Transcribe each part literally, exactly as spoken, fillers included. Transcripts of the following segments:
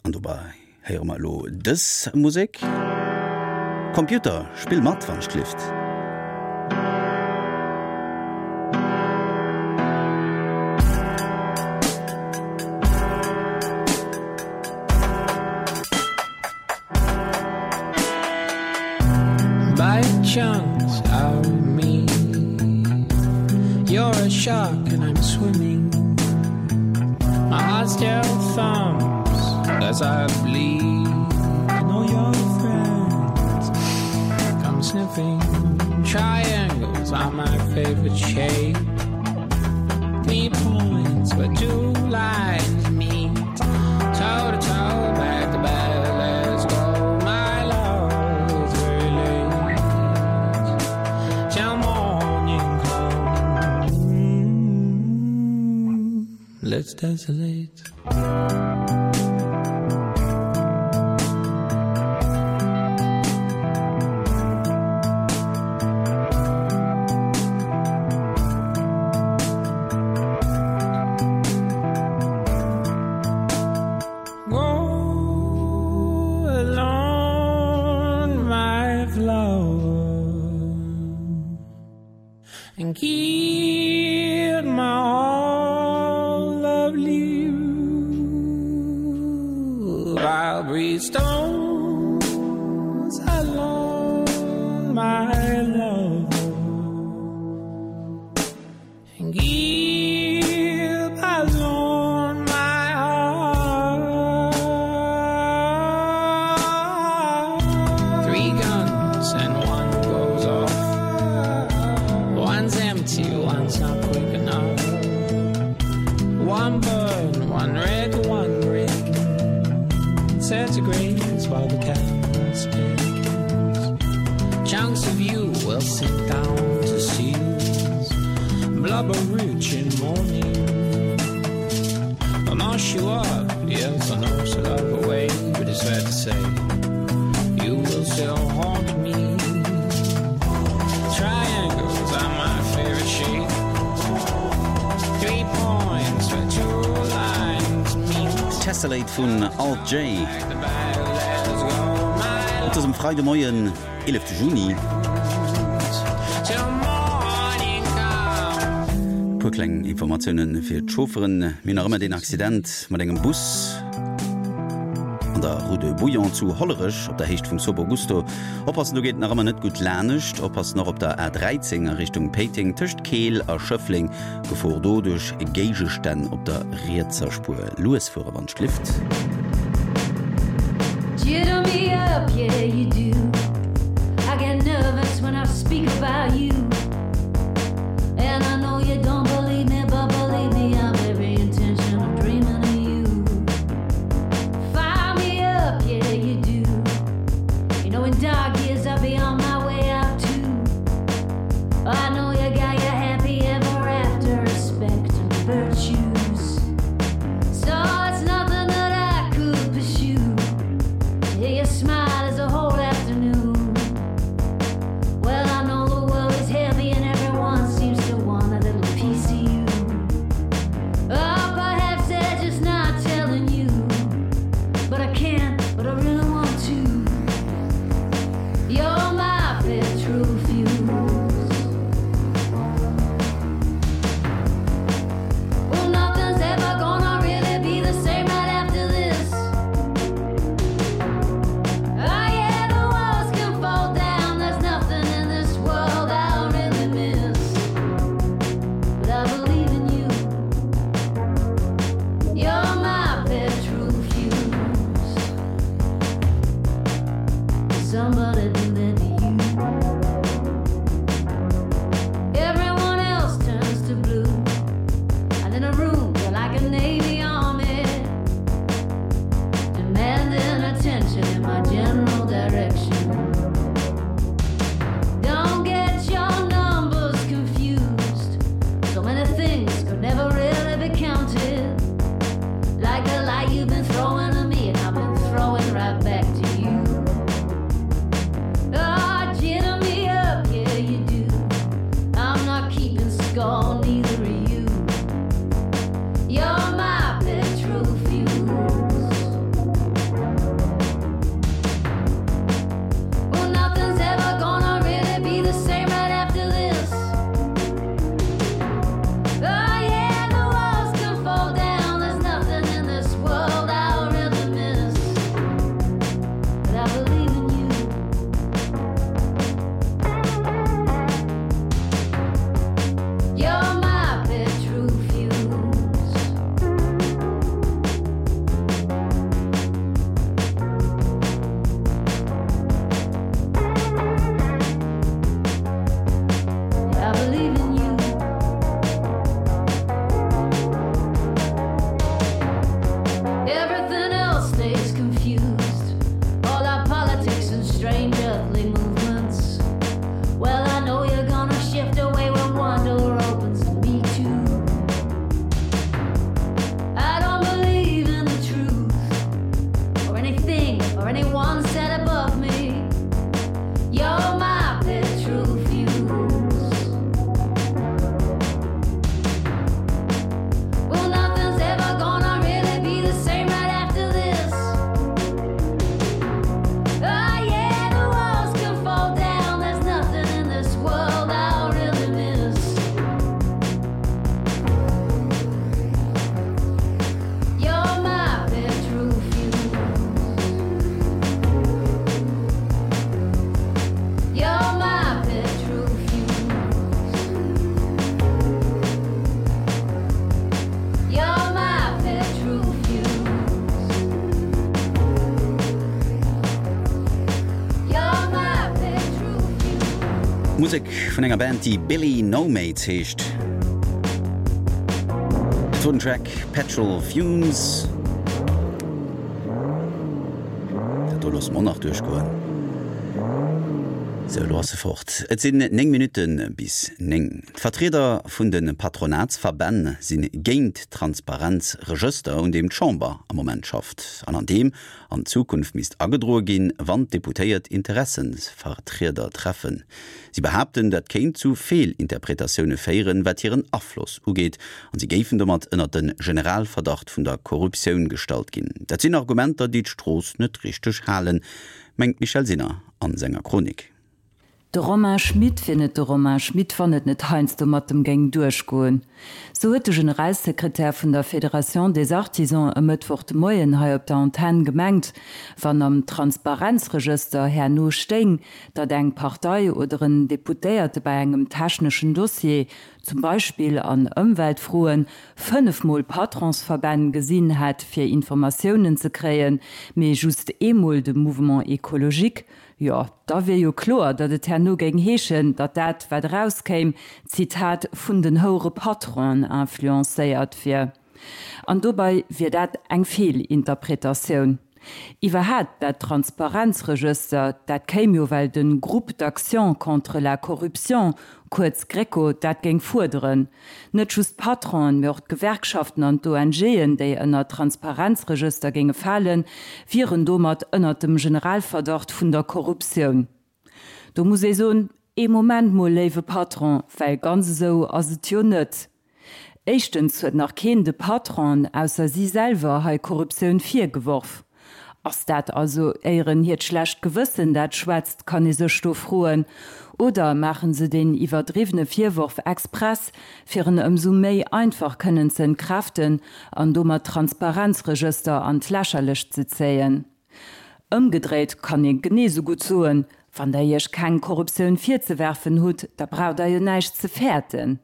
An dobäi héiere mer elo dës Musek. Computer, spill mat, wann ech gelift. Bite chunks out of me. You're a shark and I'm swimming. My heart still thumps as I bleed. And all your friends come sniffing. Triangles are my favorite shape. Three points where two lines meet. Toe to toe, back to back, let's go. My love is very late. Till morning comes. Let's desolate. Go alone, my flower, and keep my all of you. I'll breathe stones alone, my love, and keep alone my heart. Three guns and one goes off. One's empty, one's not quick enough. One burn, one red, one green. Centigrades while the calendar spins. Chunks of you will sink down to seals. Blubber rich in morning. I'll mash you up, yes, I know it's a love away, but it's fair to say you will still haunt me. Triangles are my favorite shape. Three points where two lines meet. Tessellate vun Alt J. Back to back, let's go, my Et ass um Freidemoien, eelefte Juni. Till morning comes. Puer kleng Informatioune fir d'Chaufferen. Mir hunn nach ëmmer deen Accident mat engem Bus an der Rue de Bouillon zu Hollerech op der Héicht vum Sobo Gusto. Oppassen, do geet et nach ëmmer net gutt lanescht. Oppassen och op der A dräizéng a Richtung Péiteng tëscht Keel a Schëffleng. Gefor do duerch Géigestänn op der rietser Spuer. Lues fuere wann d'Lift. Jitter me up, yeah, you do. I get nervous when I speak about you. And I know you don't believe me, but believe me, I've every intention of dreaming of you. Fire me up, yeah, you do. You know, in dark years, I'll be on my way out too. I know you got your happy ever after, respect and virtues. So it's nothing that I could pursue. To hear you smile is a whole afternoon. Well, I know the world is Musek vun enger Band, déi Billy No Mates heescht. Et wor den Track Petrol Fumes. Dat do loosse mer och nach duerchgoen. Sou, elo ass se fort. Et sinn néng Minutte bis néng. D'Vertrieder vun de Patronatsverbänn si géint d'Transparenzregëster, un deem d'Chamber am Moment schafft an an deem an Zukunft misst agedroe ginn, wann d'Deputéiert Interessensvertrieder treffen. Si behaapten, dat kéint zu Feelinterpretatioune féieren, wat hiren Afloss ugeet, an si géifen domat ënnert de Generalverdacht vun der Korruptioun gestallt ginn. Dat sinn Argumenter, déi d'Strooss net richteg halen, mengt d'Michèle Sinner an senger Chronik. De Romain Schmit wier net de Romain Schmit, wann et net heiansdo mat em géing duerchgoen. Sou huet de Generalsekretär vun der Fédération des Artisans e Mëttwoch de Moien hei op der Antenn gemengt, wann am Transparenzregëster herno stéing, datt eng Partei oder en Deputéierte bei engem techneschen Dossier, zum Beispill an Ëmweltfroen, fënnefmol Patronsverbänn gesinn hätt, fir Informatiounen ze kréien, mee just eemol de Mouvement écologique, jo, da wier jo kloer, datt et herno géing heeschen, datt dat, wat erauskéim, Zitat, vun den houere Patronen influencéiert wier. An dobäi wier dat eng Feelinterpretatioun. Iwwerhaapt dat Transparenzregëster, dat kéim jo well de Groupe d'action contre la corruption, kuerz GRECO, dat géing fuerderen. Net just d'Patronen, mee och d'Gewerkschaften an d'ONGen, déi ënner d'Transparenzregëster géinge falen, wieren domat ënner dem Generalverdacht vun der Korruptioun. Do muss ee soen, Ee Moment mol, léiwe Patron, well ganz esou ass et jo net. Éischtens huet nach keen de Patronen, ausser si selwer, hei Korruptioun virgeworf. Ass dat also éieren hiert schlecht Gewëssen, dat schwätzt, kann ee sech do froen. Oder maache se deen iwwerdriwwene Virworf express, fir en ëmsou méi einfach kënnen ze entkräften an domat d'Transparenzregëster an d'Lächerlecht ze zéien? Ëmgedréit kann ee genee sou gutt soen, Wann der iech keng Korruptioun virzewerfen hutt, da braucht der jo näischt ze fäerten.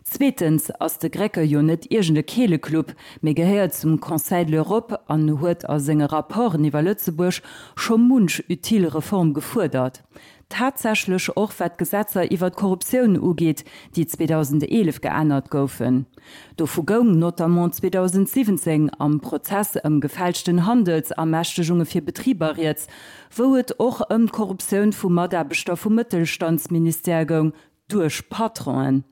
Zweetens ass de GRECO jo net iergend e Keeleclub, mee gehéiert zum Conseil de l'Europe an huet a senge Rapporten iwwer Lëtzebuerg scho munch utile Reform gefuerdert. Tatsächlech och wat d'Gesetzer iwwer d'Korruptioun ugeet, déi zweedausendeelef geännert goufen. Dovu goung notamment zweedausendsiwwenzéng am Prozess ëm gefälschten Handelsermächtegunge fir Betriber rieds, wou et och ëm d'Korruptioun vu Mataarbechter vum Mëttelstandsministère goung, duerch Patronen.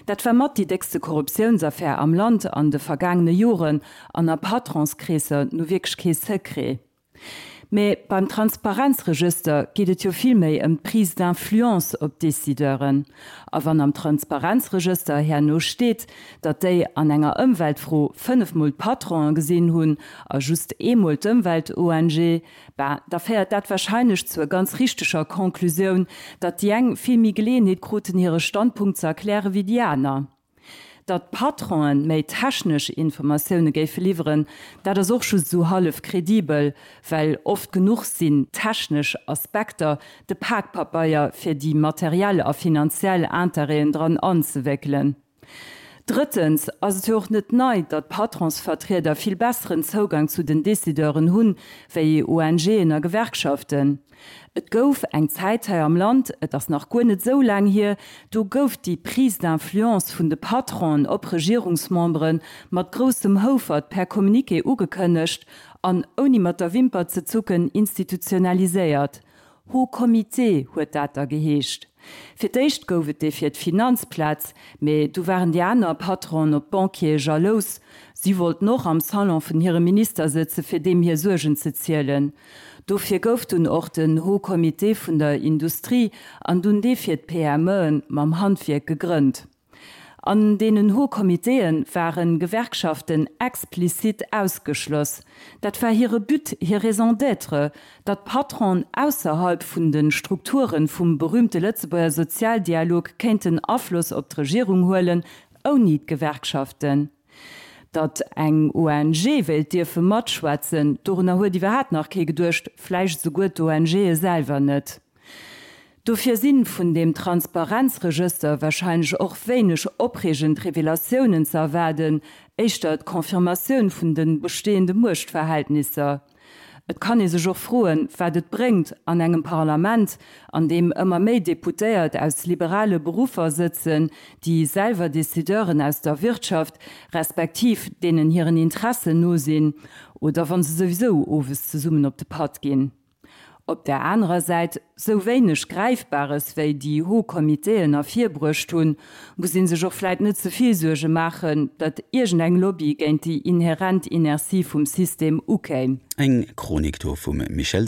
Dat war mat déi déckste Korruptiounsaffär am Land an de vergaangene Joren an a Patronskreesser nu wierklech kee Secret. Mee beim Transparenzregëster geet et jo vill méi ëm d'Prise d'influence op d'Decideuren. A wann am Transparenzregëster herno steet, datt déi an enger Ëmweltfro fënnefmol d'Patronen gesinn hunn a just eemol d'Ëmwelt-ONG, ben, da féiert dat warscheinlech zur ganz richteger Conclusioun, datt déi eng vill méi Geleeënheet kruten, hire Standpunkt ze erklären, wéi déi aner. Datt d'Patronen méi technesch Informatioune géife liwweren, dat ass och just esou hallef kredibel, well oft genuch sinn technesch Aspekter de Pakpabeier fir déi materiell a finanziell Interêten dran anzewéckelen. Drëttens ass et jo och net nei, datt Patronsvertrieder vill besseren Zougang zu den Decideuren hunn, wéi ONGen a Gewerkschaften. Et gouf eng Zäit hei am Land, et ass nach guer net esou laang hier, do gouf déi Prise d'influence vun de Patronen op Regierungsmembere mat groussem Houfert per Communiqué ugekënnegt an ouni mat der Wimper ze zucken institutionaliséiert. Haut Comité huet dat da geheescht. Fir d'éischt gouf et dee fir d'Finanzplaz, mee du waren déi aner Patronen op d'Banquiere jalous. Si wollten och am Salon vun hirem Minister sëtzen, fir deem hir Suergen ze zielen. Dofir gouf dunn och den Haut Comité vun der Industrie an dunn dee fir d'PMEen mam Handwierk gegrënnt. An deenen Hauts Comitéen waren Gewerkschaften explizit ausgeschloss. Dat war hire But, hir Raison d'être, datt d'Patronen ausserhalb vun de Strukturen vum berühmte Lëtzebuerger Sozialdialog kéinten Afloss op d'Regierung huelen, ouni d'Gewerkschaften. Datt eng O N G wéilt dierfe matschwätzen, dorunner huet iwwerhaapt nach kee geduecht, vläicht souguer d'ONGe selwer net. Dofir sinn vun deem Transparenzregëster wahrscheinlech och wéineg opreegend Revelatiounen ze erwaarden, éischter d'Confirmatioun vun de bestehende Muechtverhältnisser. Et kann ee sech och froen, wat et bréngt, an engem Parlament, an deem ëmmer méi Deputéiert aus liberale Beruffer sëtzen, déi selwer Decideuren aus der Wirtschaft, respektiv deenen hiren Interessen no sinn, oder wa se souwisou owes zesummen op de Patt ginn. Op der anerer Säit, sou wéineg Gräifbares wéi déi Hauts Comitéen ervirbruecht hunn, muss ee sech och vläit net ze vill Suerge maachen, datt iergendeng Lobby géint déi inherent Inertie vum System ukéim. Eng Chronik do vum Michèle.